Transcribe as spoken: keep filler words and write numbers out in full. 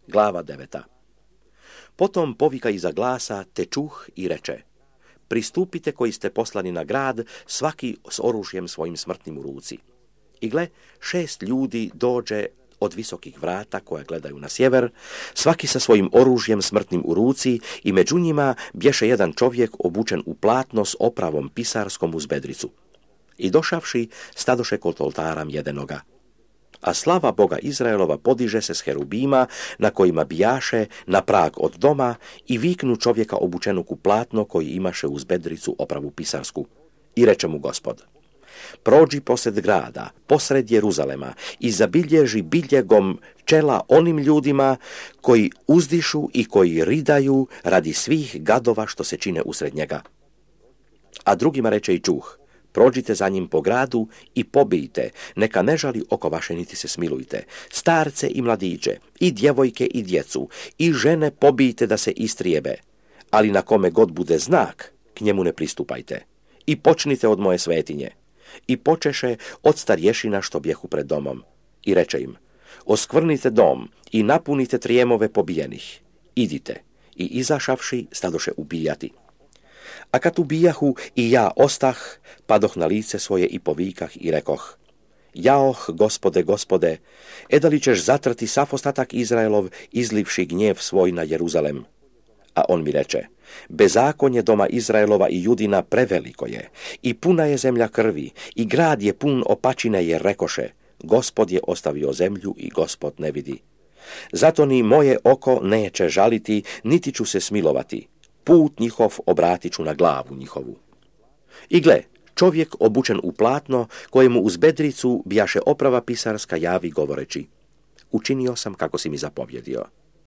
Glava deveta. Potom povika iza glasa, te čuh i reče: pristupite koji ste poslani na grad, svaki s oružjem svojim smrtnim u ruci. I gle, šest ljudi dođe od visokih vrata koja gledaju na sjever, svaki sa svojim oružjem smrtnim u ruci, i među njima bješe jedan čovjek obučen u platno s opravom pisarskom uz bedricu. I došavši, stadoše kod oltara mjedenoga. A slava Boga Izraelova podiže se s herubima, na kojima bijaše na prag od doma, i viknu čovjeka obučenog u platno koji imaše uz bedricu opravu pisarsku. I reče mu Gospod: prođi posred grada, posred Jeruzalema, i zabilježi biljegom čela onim ljudima koji uzdišu i koji ridaju radi svih gadova što se čine usred njega. A drugima reče i čuh: prođite za njim po gradu i pobijte, neka ne žali oko vaše niti se smilujte, starce i mladiće, i djevojke i djecu, i žene pobijte da se istrijebe, ali na kome god bude znak, k njemu ne pristupajte. I počnite od moje svetinje. I počeše od starješina što bjehu pred domom. I reče im: oskvrnite dom i napunite trijemove pobijenih. Idite. I izašavši, stadoše ubijati. A kad ubijahu, i ja ostah, padoh na lice svoje i povikah i rekoh: jaoh, Gospode, Gospode, eda li ćeš zatrti sav ostatak Izraelov, izlivši gnjev svoj na Jeruzalem? A on mi reče: bezakonje doma Izraelova i Judina preveliko je, i puna je zemlja krvi, i grad je pun opačine, jer rekoše: Gospod je ostavio zemlju i Gospod ne vidi. Zato ni moje oko neće žaliti, niti ću se smilovati. Put njihov obratit ću na glavu njihovu. I gle, čovjek obučen u platno, kojemu uz bedricu bijaše oprava pisarska, javi govoreći: učinio sam kako si mi zapovjedio.